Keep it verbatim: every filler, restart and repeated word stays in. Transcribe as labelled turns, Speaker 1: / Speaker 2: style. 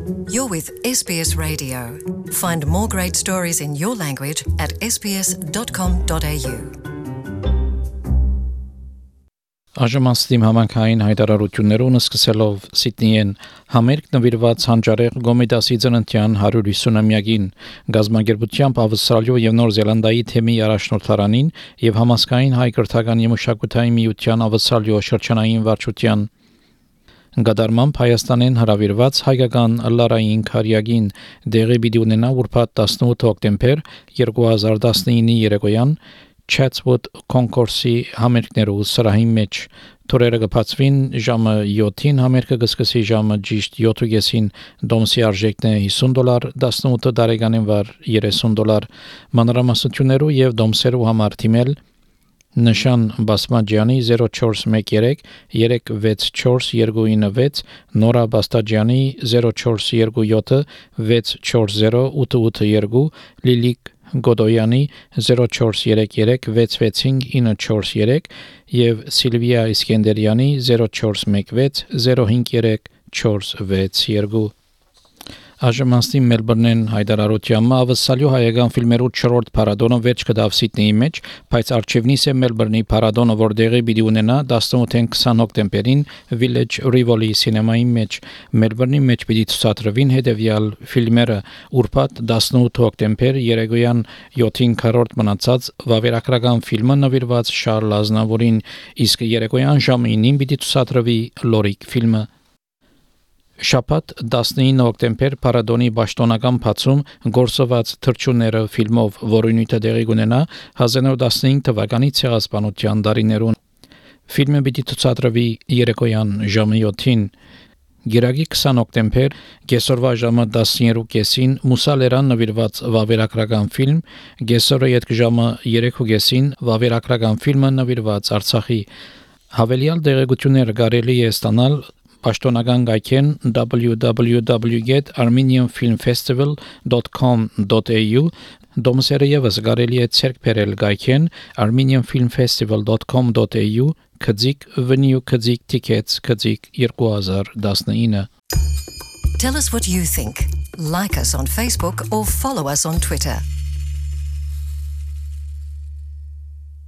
Speaker 1: You're with S B S Radio. Find more great stories in your language at s b s dot com dot a u.
Speaker 2: Աժմաստիմ համանքային հայտարարություններուն սկսելով Սիդնիեն համերգ նվիրված հանճարեղ Գոմեդասի ծննդյան հարյուր ութսունամյակին գազագերբությամբ Ավստրալիա եւ Նոր Զելանդիայի թեմի առաջնորդարանին եւ համասկային հայ կրթական եւ մշակութային միության Ավստրալիա շրջանային վարչության Գադարմամբ Հայաստանեն հրավիրված հայկական լարային քարյակին դեղի պիտի ունենա ուրբաթ տասնութ հոկտեմբեր երկու հազար տասնինի երեկոյան Chatswood Concourse-ի համերգներու սրահի մեջ թորերը կբացվին ժամը յոթին համերգը կսկսի ժամը ճիշտ յոթին դոմսի արժեքն է հիսուն դոլար տասնութ տարեկանին վար երեսուն դոլար մանրամասնություններու եւ դոմսերու համար թիմել Նշան Բասմաջյանի zero four one three երեք վեց չորս երկու ինը վեց Նորա Բաստաջյանի zero four two seven վեց չորս zero ութ ութ երկու Լիլիկ Գոդոյանի zero four three three վեց վեց հինգ ինը չորս երեք եւ Սիլվիա Իսկենդերյանի zero four one six zero five three չորս վեց երկու Աժմաստի Մելբուրնեն հայտարարությամբ ավսալյու հայկական ֆիլմերու չորրորդ փառատոնը վերջ կդավ Սիդնեի մեջ, բայց արչևնից է Մելբուրնի փառատոնը, որ դեղի պիտի ունենա տասնութ քսան հոկտեմբերին Village Rivoli սինեմայի մեջ։ Մելբուրնի մեջ պիտի ցուցադրվին հետևյալ ֆիլմերը՝ ուրբաթ տասնութ հոկտեմբեր երեկոյան յոթին քառորդ մնացած վավերագրական ֆիլմը նվիրված Շարլ Ազնավուրին, իսկ երեկոյան ժամը ինին պիտի ցուցադրվի Լորիկ ֆիլմը։ Շաբաթ տասնինը հոկտեմբեր Փարադոնի Պաշտոնական բացում գործված թռչունները ֆիլմով, որը նույնը դեղի կունենա հազար նորը տասնհինգ թվականի ցեղասպանության տարիներուն։ Ֆիլմը պիտի ցուցադրվի երեկոյան ժամը յոթին։ Գիրագի քսան հոկտեմբեր գեսորվա ժամը տասներկու կեսին Մուսալերան նվիրված վավերագրական ֆիլմ, գեսորը յետք ժամը երեքու կեսին վավերագրական ֆիլմը նվիրված Արցախի։ Հավելյալ դեղեցությունները կարելի է ստանալ Պաշտոնական գայքեն w w w dot armenian film festival dot com dot a u Դոմսերը եւս կարելի է ցերկ բերել գայքեն armenian film festival dot com dot a u քծիկ venue քծիկ tickets քծիկ երկու հազար տասնինը
Speaker 1: Tell us what you think. Like us on Facebook or follow us on Twitter.